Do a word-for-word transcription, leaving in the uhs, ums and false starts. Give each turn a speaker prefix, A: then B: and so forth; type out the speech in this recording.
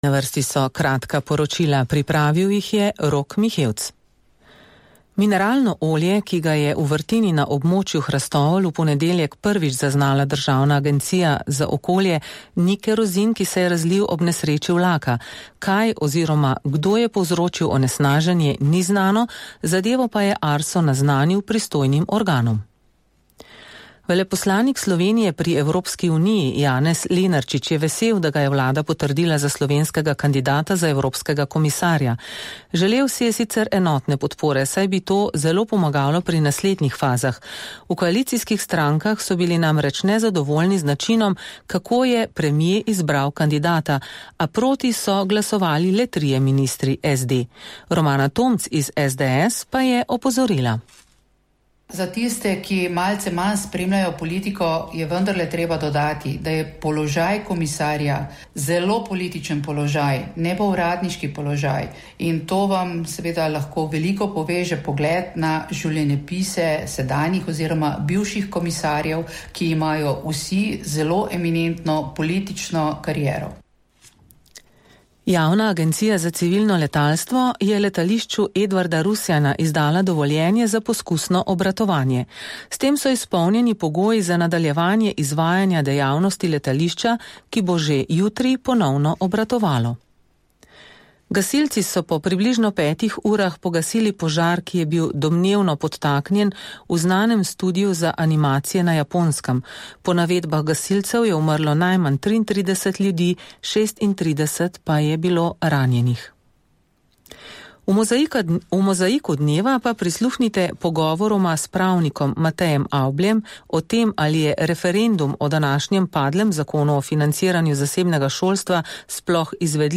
A: Na vrsti so kratka poročila, pripravil jih je Rok Mihevc. Mineralno olje, ki ga je v vrtini na območju Hrastov v ponedeljek prvič zaznala Državna agencija za okolje, ni kerozin, ki se je razlil ob nesreči vlaka. Kaj oziroma kdo je povzročil onesnaženje, ni znano, zadevo pa je Arso naznanil pristojnim organom. Veleposlanik Slovenije pri Evropski uniji Janez Lenarčič je vesel, da ga je vlada potrdila za slovenskega kandidata za evropskega komisarja. Želel si je sicer enotne podpore, saj bi to zelo pomagalo pri naslednjih fazah. V koalicijskih strankah so bili namreč nezadovoljni z načinom, kako je premier izbral kandidata, a proti so glasovali le trije ministri S D. Romana Tomc iz S D S pa je opozorila.
B: Za tiste, ki malce manj spremljajo politiko, je vendarle treba dodati, da je položaj komisarja zelo političen položaj, ne pa uradniški položaj. In to vam seveda lahko veliko poveže pogled na življenjepise sedanjih oziroma bivših komisarjev, ki imajo vsi zelo eminentno politično kariero.
A: Javna agencija za civilno letalstvo je letališču Edvarda Rusjana izdala dovoljenje za poskusno obratovanje. S tem so izpolnjeni pogoji za nadaljevanje izvajanja dejavnosti letališča, ki bo že jutri ponovno obratovalo. Gasilci so po približno petih urah pogasili požar, ki je bil domnevno podtaknjen v znanem studiu za animacije na Japonskem. Po navedbah gasilcev je umrlo najmanj triintrideset ljudi, šestintrideset pa je bilo ranjenih. V, mozaika, v mozaiku dneva pa prisluhnite pogovoroma s pravnikom Matejem Avbljem o tem, ali je referendum o današnjem padlem zakonu o financiranju zasebnega šolstva sploh izvedljiv.